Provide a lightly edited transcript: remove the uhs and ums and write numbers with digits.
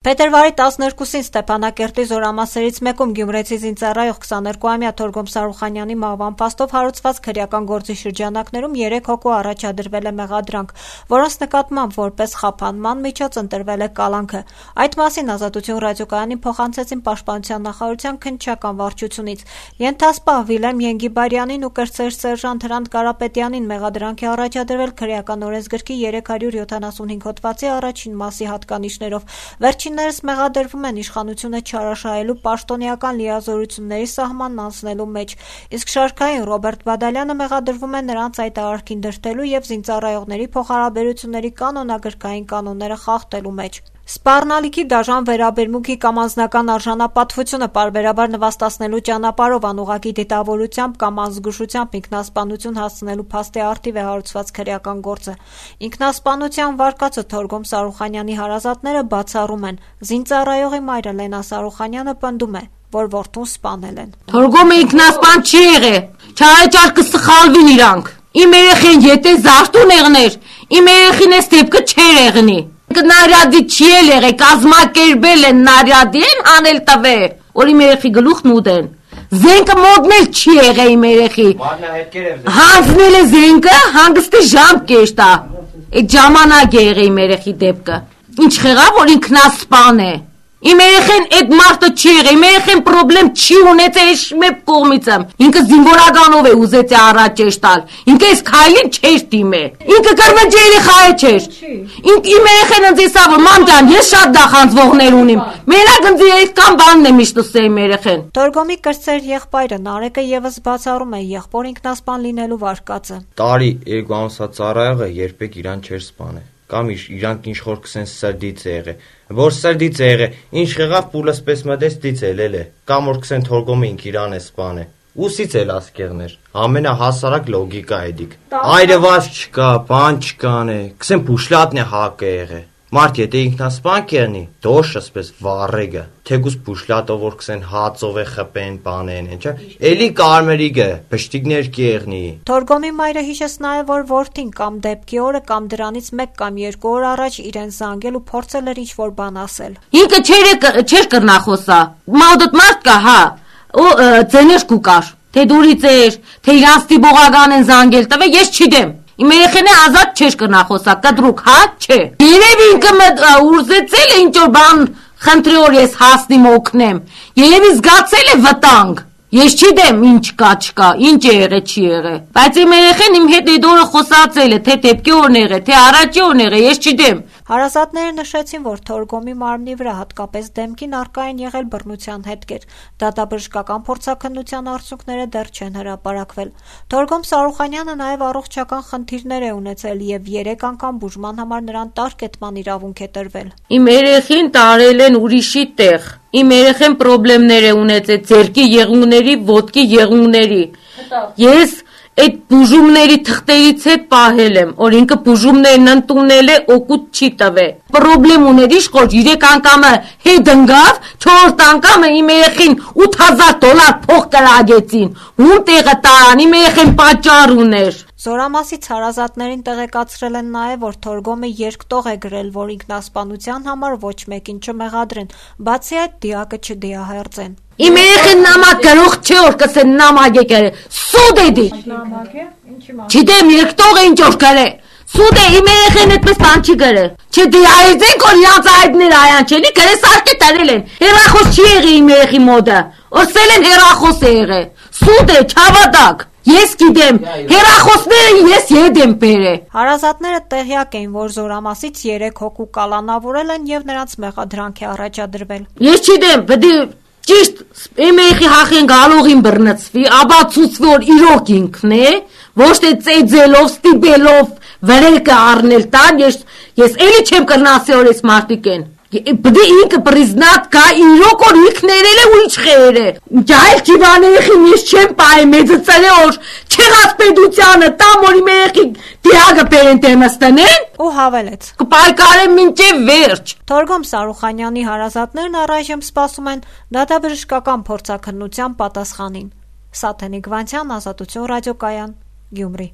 Փետրվարի 12-ին Ստեփանակերտի զորամասերից մեկում Գյումրեցի զինծառայող 22-ամյա Թորգոմ Սարուխանյանի մահվան փաստով հարուցված քրեական գործի շրջանակներում 3 հոգու առաջադրվել է մեղադրանք, որոնց նկատմամբ որպես խափանման միջոց ընտրվել է կալանքը։ Այդ մասին Ազատություն ռադիոկայանին փոխանցեցին Պաշտպանության նախարարության քննչական վարչությունից։ Ենթասպահ Վիլեմ Ենգիբարյանին ու կրտսեր սերժանտ Հրանտ Կարապետյանին մեղադրանք է առաջադրվել քրեական օրենսգրքի 375 հոդվածի առաջին մասի հատկանիշներով։ Վերջիններս մեղադրվում են իշխանությունը չարաշահելու պաշտոնեական լիազորությունների սահմանն անցնելու մեջ, իսկ շարքային Ռոբերտ Բադալյանը մեղադրվում է նրանց այդ արարքին դրդելու և զինծառայողների փոխհարաբերությունների կանոնագրքային կանոնները խախտելու մեջ։ Սպառնալիքի դաժան վերաբերմունքի կամ անձնական արժանապատվությունը պարբերաբար նվաստացնելու ճանապարհով անուղղակի դիտավորությամբ կամ անզգուշությամբ ինքնասպանություն հասցնելու փաստի առթիվ է հարուցված քրեական գործը։ Ինքնասպանության վարկածը Թորգոմ Սարուխանյանի հարազատները բացառում են։ Զինծառայողի մայրը Լենա Սարուխանյանը պնդում է, որ որդուն սպանել են։ Թորգոմը ինքնասպան չի եղել, չարեճար կսխալվին իրանք։ Իմ երեխեն եթե զարթուն եղներ, իմ երեխին էս դեպքը չէր եղնի։ Նարյադի չի եղել, կազմակերպել են նարյադի են անել տվե, որ իմ երեխի գլուխն ուտեն։ Զենքը մոդնել չի եղել իմ երեխի։ Հանձնել է զենքը, հանգստի ժամ կեշտա։ Այդ ժամանակ է եղել իմ երեխի դեպքը։ Ինչ եղավ, որ ինքնասպան է։ Իմ երեխեն այդ մարդը չի եղել, իմ երեխեն պրոբլեմ չի ունեցել այս մեկ կողմից։ Ինքը զինվորականով է ուզեցի առաջ տալ։ Ինքը այս քայլին չէր դիմել։ Ինքը կրվեջ երեխա չէր։ Իմ երեխեն ինձ ասա, որ մամ ջան, ես շատ դախանձվողներ ունիմ։ Մենակ ինձ այդքան բանն է միշտ ասել իմ երեխեն։ Թորգոմի կրտսեր եղբայրը Նարեկը եւս բացառում է եղբոր ինքնասպան լինելու վարկածը։ Տարի 2 ամսա ծառայողը երբեք իրան չէր սպանել։ Կամ իրանք ինչ որ կսեն սրդից է եղել, որ սրդից է եղել, ինչ եղավ պուլս պես մտեց դից էլ է, կամ որ կսեն Թորգոմը ինք իրան է սպանել, ուսից էլ ասկեղներ, ամենահասարակ լոգիկա է դիք, այրված չկա, բան չկան է, կսեն փուշլատնե հակ է եղել, մարդ եթե ինքնասպան կերնի, դոշ ասպես վառեգը, թեկուս փուշլատով որ կսեն հացով է խպեն, բանեն, ինչա, էլի կարմերիգը, բշտիկներ կեղնի։ Թորգոմի մայրը հիշեց նաև, որ որդին կամ դեպքի օրը կամ դրանից 1 կամ 2 օր առաջ իրեն զանգել ու փորձել էր ինչ-որ բան ասել։ Ինքը չէր կրնախոսա, մոդոտ մարդ կա, հա, ու ձեներ կուկար, թե դուրից էր, թե իրանց տիբողական են զանգել, տվե ես չիդեմ։ Իմ երեխենը ազատ չէր կրնախոսա, կդրուկ, հա, չէ։ Երևի ինքը ուզեցել է ինչ-որ բան խնդրի որ ես հասնիմ օգնեմ, երևի զգացել է վտանգ։ Ես չիդեմ ինչ կա չկա, ինչ է եղել չի եղել, բայց իմ երեխեն իմ հետ այդ օրը խոսացել է, թե դեպքի օրն է եղել, թե առաջի օրն է եղել, ես չիդեմ։ Հարազատները նշեցին, որ Թորգոմի մարմնի վրա հատկապես դեմքին առկա են եղել բռնության հետքեր, դատաբժշկական փորձաքննության արդյունքները դեռ չեն հրապարակվել։ Թորգոմ Սարուխանյանը նաև առողջական խնդիրներ է ունեցել և 3 անգամ բուժման համար նրան տարկետման իրավունք է տրվել։ Իմ երեխին տարել են ուրիշի տեղ։ Իմ երեխեն պրոբլեմներ է ունեցել ձեռքի եղունգների, ոտքի եղունգների։ Ես այդ բուժումների թղթերից հետ պահել եմ, որ ինքը բուժումներն ընդունել է, օգուտ չի տվել։ Պրոբլեմ ուներ իշխոր 3 անգամը հետ ընկավ, 4 անգամը իմ երեխին $8,000 փող կրագեցին։ Ում տեղը տարան, իմ երեխեն պատճառ ուներ։ Զորամասից հարազատներին տեղեկացրել են նաև, որ Թորգոմը երկտող է գրել, որ ինքնասպանության համար ոչ մեկին չմեղադրեն, բացի այդ դիակը չդիահերձեն։ Իմ երեխեն նամակ գրող չէ, որ կսեն նամակ է գրել, սուտ է դի։ Չիդեմ երկտող է ինչ որ գրել, սուտ է, իմ երեխեն այդպես բան չի գրել։ Չդիահերձենք, որ իրանց այդներ այան չելի, գրել սարքե տրել են, հեռախոս չի եղել իմ երեխի մոտը, օրսել են հեռախոս է եղել, սուտ է, չավատակ։ Ես գիտեմ, հեռախոսները ես ետ եմ բերել։ Հարազատները տեղյակ էին, որ զորամասից 3 հոգու կալանավորել են և նրանց մեղադրանք է առաջադրվել։ Ես չիդեմ, բդի ճիշտ իմ երեխի հախեն գալողին բռնցվի, աբացուցվի, որ իրոք ինքն է, ոչ թե ծեծելով, ստիպելով վրեկը առնել տան, ես էլի չեմ կրնասի որ ես մարդիկ են։ Բդի ինքը պրիզնատ կա իրոք որ ինքն երել է ու ինչ խեր է։ Ջայլ չիվան երեխին ես չեմ պահի մեծը ծրե որ չեղած պետությանը տամ որ իմ երեխի դիագը պերեն տեմս տնեն ու հավելեց. Կպայքարեմ մինչև վերջ։ Թորգոմ Սարուխանյանի հարազատներն առայժմ սպասում են դատաբժշկական փորձաքննության պատասխանին։ Սաթենիկ Վանցյան, Ազատություն ռադիոկայան, Գյումրի։